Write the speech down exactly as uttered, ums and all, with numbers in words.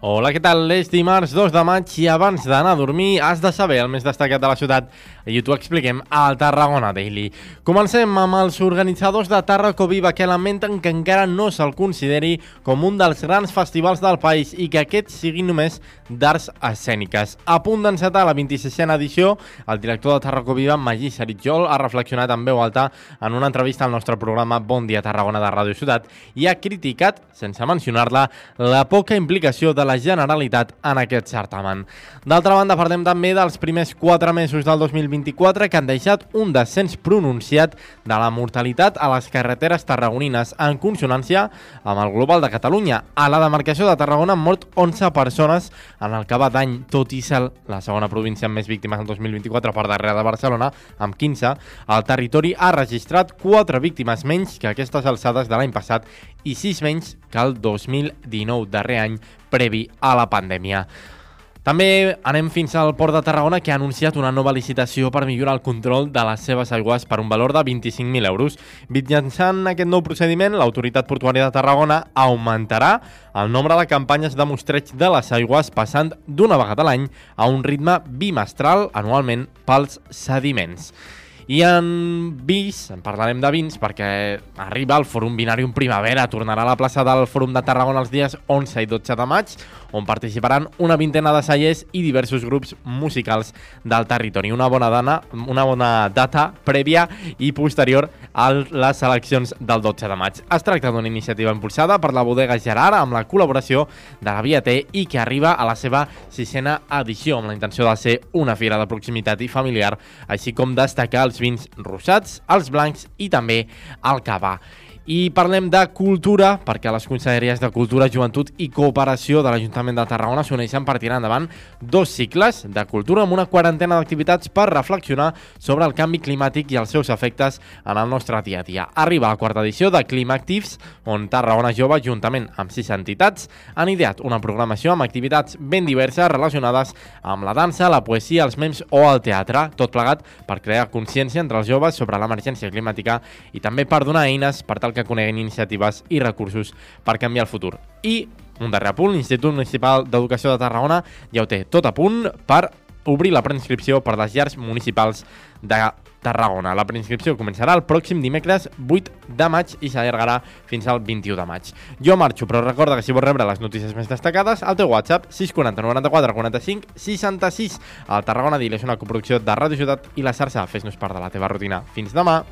Hola, què tal? És dimarts dos de maig i abans d'anar a dormir has de saber el més destacat de la ciutat i t'ho expliquem al Tarragona Daily. Comencem amb els organitzadors de Tarraco Viva, que lamenten que encara no se'l consideri com un dels grans festivals del país i que aquest sigui només d'arts escèniques. A punt d'encetar la vint-i-sisena edició, el director de Tarraco Viva, Magí Saritjol, ha reflexionat en veu alta en una entrevista al nostre programa Bon Dia Tarragona de Ràdio Ciutat i ha criticat, sense mencionar-la, la poca implicació de la Generalitat en aquest certamen. D'altra banda, parlem també dels primers quatre mesos del dos mil vint-i-quatre que han deixat un descens pronunciat de la mortalitat a les carreteres tarragonines, en consonància amb el global de Catalunya. A la demarcació de Tarragona han mort onze persones en el que va d'any, tot i ser la segona província amb més víctimes del dos mil vint-i-quatre per darrere de Barcelona, amb quinze. El territori ha registrat quatre víctimes menys que aquestes alçades de l'any passat i sis menys que el dos mil dinou, darrer any previ a la pandèmia. També anem fins al Port de Tarragona, que ha anunciat una nova licitació per millorar el control de les seves aigües per un valor de vint-i-cinc mil euros. Mitjançant aquest nou procediment, l'Autoritat Portuària de Tarragona augmentarà el nombre de campanyes de mostreig de les aigües, passant d'una vegada a l'any a un ritme bimestral anualment pels sediments. I en vins, en parlarem de vins, perquè arriba el Fòrum Vinarium Primavera, tornarà a la plaça del Fòrum de Tarragona els dies onze i dotze de maig, on participaran una vintena de cellers i diversos grups musicals del territori. Una bona, dana, una bona data prèvia i posterior a les eleccions del dotze de maig. Es tracta d'una iniciativa impulsada per la bodega Gerard amb la col·laboració de la Via T i que arriba a la seva sisena edició, amb la intenció de ser una fira de proximitat i familiar, així com destacar els vins rosats, els blancs i també el cava. I parlem de cultura, perquè les conselleries de Cultura, Joventut i Cooperació de l'Ajuntament de Tarragona s'uneixen per tirar endavant dos cicles de cultura amb una quarantena d'activitats per reflexionar sobre el canvi climàtic i els seus efectes en el nostre dia a dia. Arriba la quarta edició de Climactives, on Tarragona Jove, juntament amb sis entitats, han ideat una programació amb activitats ben diverses relacionades amb la dansa, la poesia, els memes o el teatre, tot plegat per crear consciència entre els joves sobre l'emergència climàtica i també per donar eines per tal que coneguin iniciatives i recursos per canviar el futur. I un darrer apunt, l'Institut Municipal d'Educació de Tarragona ja ho té tot a punt per obrir la preinscripció per les llars municipals de Tarragona. La preinscripció començarà el pròxim dimecres vuit de maig i s'allargarà fins al vint-i-u de maig. Jo marxo, però recorda que si vols rebre les notícies més destacades, al teu WhatsApp sis quatre zero noranta-quatre quaranta-cinc seixanta-sis. El Tarragona Daily és una coproducció de Ràdio Ciutat i la xarxa. Fes-nos part de la teva rutina. Fins demà!